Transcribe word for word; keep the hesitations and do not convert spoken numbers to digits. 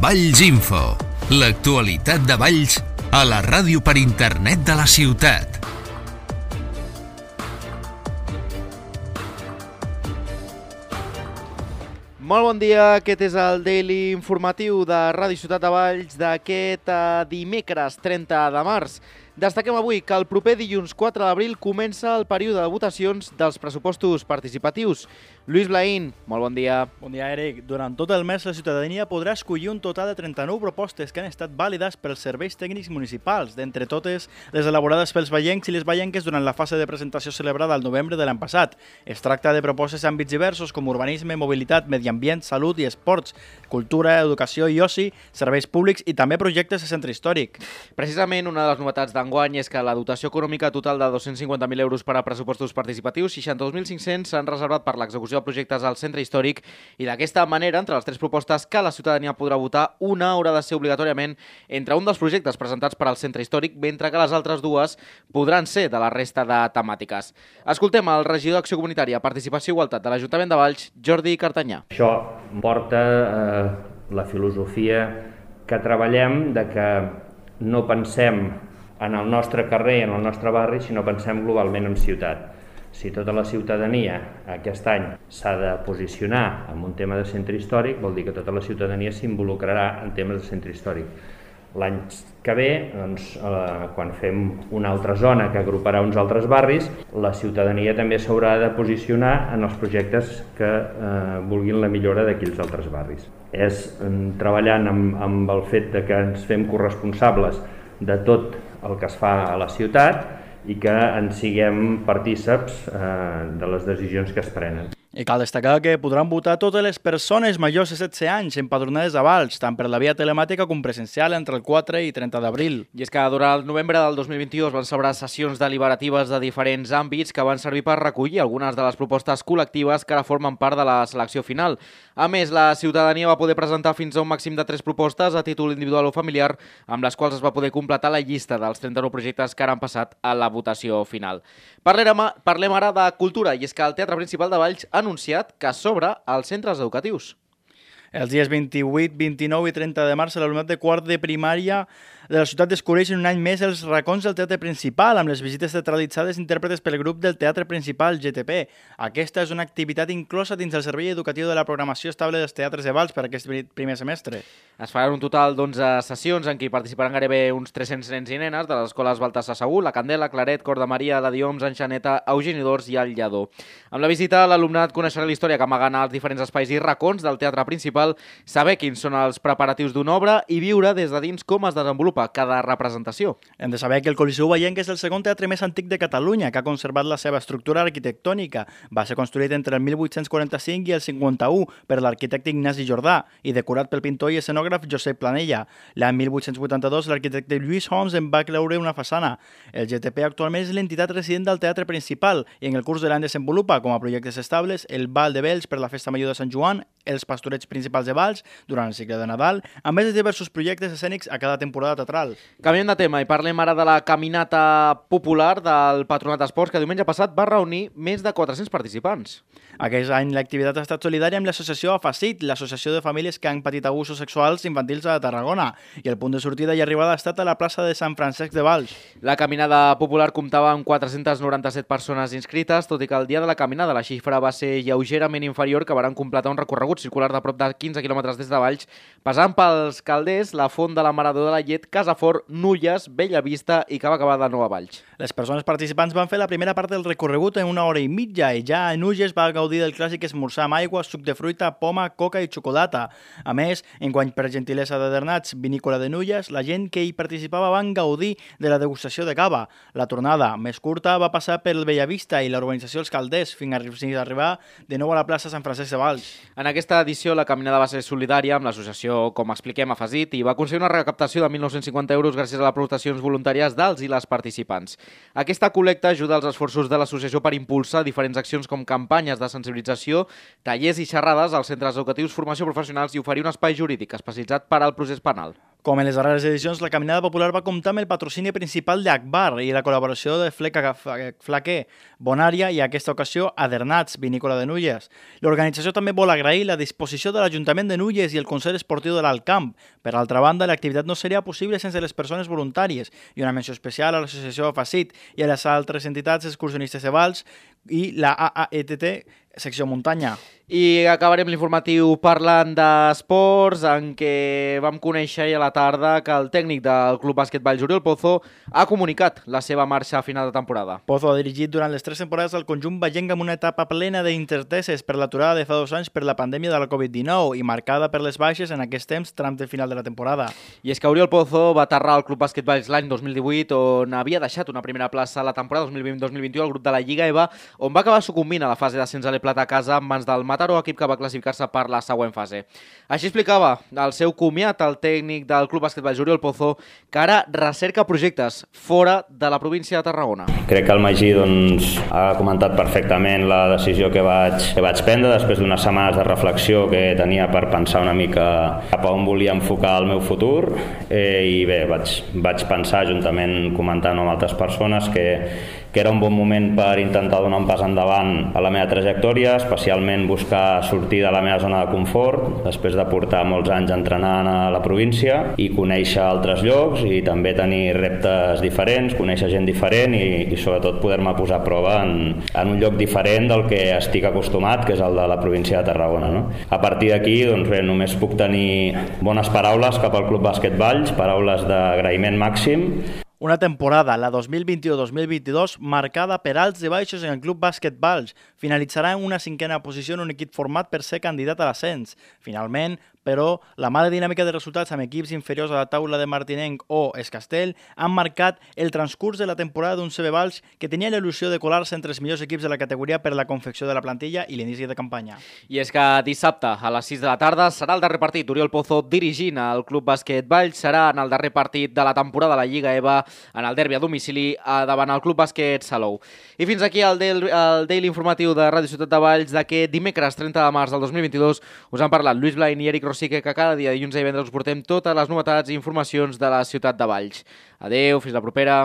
Valls Info, l'actualitat de Valls a la ràdio per internet de la ciutat. Molt bon dia, aquest és el Daily Informatiu de Ràdio Ciutat de Valls d'aquest dimecres trenta de març. Destaquem avui que el proper dilluns quatre d'abril comença el període de votacions dels pressupostos participatius. Lluís Blaín, molt bon dia. Bon dia, Eric. Durant tot el mes la ciutadania podrà escollir un total de trenta-nou propostes que han estat vàlides pels serveis tècnics municipals, d'entre totes les elaborades pels vallencs i les vallenques durant la fase de presentació celebrada al novembre de l'any passat. Es tracta de propostes en àmbits diversos com urbanisme, mobilitat, medi ambient, salut i esports, cultura, educació i oci, serveis públics i també projectes de centre històric. Precisament una de les novetats d'enguany és que la dotació econòmica total de dos-cents cinquanta mil euros per a pressupostos participatius, seixanta-dos mil cinc-cents s'han reservat per l'execució de projectes al centre històric i d'aquesta manera, entre les tres propostes que la ciutadania podrà votar, una haurà de ser obligatòriament entre un dels projectes presentats per al centre històric, mentre que les altres dues podran ser de la resta de temàtiques. Escoltem el regidor d'Acció Comunitària, Participació i Igualtat de l'Ajuntament de Valls, Jordi Cartanyà. Això porta eh, la filosofia que treballem de que no pensem en el nostre carrer, en el nostre barri, sinó pensem globalment en ciutat. Si tota la ciutadania aquest any s'ha de posicionar en un tema de centre històric, vol dir que tota la ciutadania s'involucrarà en temes de centre històric. L'any que ve, doncs, eh, quan fem una altra zona que agruparà uns altres barris, la ciutadania també s'haurà de posicionar en els projectes que eh, vulguin la millora d'aquells altres barris. És eh, treballant amb, amb el fet de que ens fem corresponsables de tot el que es fa a la ciutat i que en siguem partíceps eh, de les decisions que es prenen. I cal destacar que podran votar totes les persones majors de setze anys empadronades a Valls, tant per la via telemàtica com presencial entre el quatre i trenta d'abril. I és que durant el novembre del dos mil vint-i-dos van celebrar sessions deliberatives de diferents àmbits que van servir per recollir algunes de les propostes col·lectives que ara formen part de la selecció final. A més, la ciutadania va poder presentar fins a un màxim de tres propostes a títol individual o familiar, amb les quals es va poder completar la llista dels trenta-nou projectes que ara han passat a la votació final. Parlem, parlem ara de cultura, i és que el Teatre Principal de Valls ha anunciat que s'obre als centres educatius. Els dies vint-i-vuit, vint-i-nou i trenta de març, l'alumnat de quart de primària de la ciutat descobreix un any més els racons del Teatre Principal, amb les visites teatralitzades intèrpretes pel grup del Teatre Principal, G T P. Aquesta és una activitat inclosa dins el servei educatiu de la programació estable dels teatres de Valls per aquest primer semestre. Es faran un total d'onze sessions en què participaran gairebé uns tres-cents nens i nenes de les escoles Baltasar Segur, La Candela, Claret, Cor de Maria, la Dioms, Enxaneta, Eugeni d'Ors i el Lledó. Amb la visita, l'alumnat coneixerà la història que amaguen als diferents espais i racons del Teatre Principal, saber quins són els preparatius d'una obra i viure des de dins com es desenvolupa cada representació. Hem de saber que el Coliseu Vallenc és el segon teatre més antic de Catalunya, que ha conservat la seva estructura arquitectònica. Va ser construït entre el mil vuit-cents quaranta-cinc i el cinquanta-u per l'arquitecte Ignasi Jordà i decorat pel pintor i escenògraf Josep Planella. L'any mil vuit-cents vuitanta-dos l'arquitecte Lluís Homs en va creure una façana. El G T P actualment és l'entitat resident del Teatre Principal i en el curs de l'any desenvolupa com a projectes estables el Ball de Bells per la Festa Major de Sant Joan, els pastorets principals de Valls durant el cicle de Nadal, a més de diversos projectes escènics a cada temporada teatral. Canviem de tema i parlem ara de la caminata popular del Patronat d'Esports que diumenge passat va reunir més de quatre-cents participants. Aquest any l'activitat ha estat solidària amb l'associació AFACIT, l'associació de famílies que han patit abusos sexuals infantils a Tarragona, i el punt de sortida i arribada ha estat a la plaça de Sant Francesc de Valls. La caminada popular comptava amb quatre-cents noranta-set persones inscrites, tot i que el dia de la caminada la xifra va ser lleugerament inferior, que varen completar un recorregut circular de prop de quinze quilòmetres des de Valls, passant pels Calders, la Font de la Maradó de la Llet, Casafort, Nulles, Bellavista i que va acabar de nou a Valls. Les persones participants van fer la primera part del recorregut en una hora i mitja i ja a Nulles va gaudir del clàssic esmorzar amb aigua, suc de fruita, poma, coca i xocolata. A més, enguany per gentilesa de Dernats, vinícola de Nulles, la gent que hi participava van gaudir de la degustació de cava. La tornada, més curta, va passar per el Bellavista i la urbanització Els Calders fins a arribar de nou a la plaça Sant Francesc de Valls. En aquesta edició la caminada va ser solidària amb l'associació, com expliquem, AFACIT, i va aconseguir una recaptació de mil nou-cents cinquanta euros gràcies a les aportacions voluntàries dels i les participants. Aquesta col·lecta ajuda als esforços de l'associació per impulsar diferents accions com campanyes de sensibilització, tallers i xerrades als centres educatius, formació professionals i oferir un espai jurídic especialitzat per al procés penal. Com en les darreres edicions, la Caminada Popular va comptar amb el patrocini principal d'Akbar i la col·laboració de Fleca Flaquer, Bonària i, en aquesta ocasió, Adernats, vinícola de Nulles. L'organització també vol agrair la disposició de l'Ajuntament de Nulles i el Consell Esportiu de l'Alt Camp. Per altra banda, l'activitat no seria possible sense les persones voluntàries i una menció especial a l'associació Facit i a les altres entitats excursionistes de Valls i la A A E T T, secció muntanya. I acabarem l'informatiu parlant d'esports, en què vam conèixer ahir a la tarda que el tècnic del Club Bàsquet Valls, Oriol Pozo, ha comunicat la seva marxa a final de temporada. Pozo ha dirigit durant les tres temporades del conjunt vallenc amb una etapa plena d'incerteses per l'aturada de fa dos anys per la pandèmia de la covid dinou i marcada per les baixes en aquest temps tram de final de la temporada. I és que Oriol Pozo va aterrar al Club Bàsquet Valls l'any dos mil divuit, on havia deixat una primera plaça a la temporada dos mil vint dos mil vint u al grup de la Lliga E V A, on va acabar sucumbint a la fase d'ascens a l'E Plata a casa en mans del Mataró, equip que va classificar-se per la següent fase. Així explicava el seu comiat el tècnic del Club Bàsquet Valls, Oriol Pozo, que ara recerca projectes fora de la província de Tarragona. Crec que el Magí doncs, ha comentat perfectament la decisió que vaig, que vaig prendre després d'unes setmanes de reflexió que tenia per pensar una mica cap a on volia enfocar el meu futur eh, i bé, vaig, vaig pensar juntament comentant amb altres persones que, que era un bon moment per intentar donar un pas endavant a la meva trajectòria, especialment buscar sortir de la meva zona de confort després de portar molts anys entrenant a la província i conèixer altres llocs i també tenir reptes diferents, conèixer gent diferent i, i sobretot poder-me posar a prova en, en un lloc diferent del que estic acostumat, que és el de la província de Tarragona. No? A partir d'aquí, doncs bé, només puc tenir bones paraules cap al Club Bàsquet Valls, paraules d'agraïment màxim. Una temporada, la dos mil vint-i-u dos mil vint-i-dos, marcada per alts i baixos en el Club Bàsquet Valls. Finalitzarà en una cinquena posició en un equip format per ser candidat a l'ascens. Finalment, però, la mala dinàmica de resultats amb equips inferiors a la taula de Martinenc o Escastell han marcat el transcurs de la temporada d'un C B Valls que tenia la il·lusió de colar-se entre els millors equips de la categoria per la confecció de la plantilla i l'inici de campanya. I és que dissabte a les sis de la tarda serà el darrer partit. Oriol Pozo dirigint el Club Bàsquet Valls serà en el darrer partit de la temporada de la Lliga E V A en el derbi a domicili davant el Club Bàsquet Salou. I fins aquí el, del, el Daily Informatiu de Ràdio Ciutat de Valls d'aquest dimecres trenta de març del dos mil vint-i-dos. Us han parlat Lluís Blain i Eric Rosique, que cada dia dilluns i divendres us portem totes les novetats i informacions de la ciutat de Valls. Adeu, fins la propera.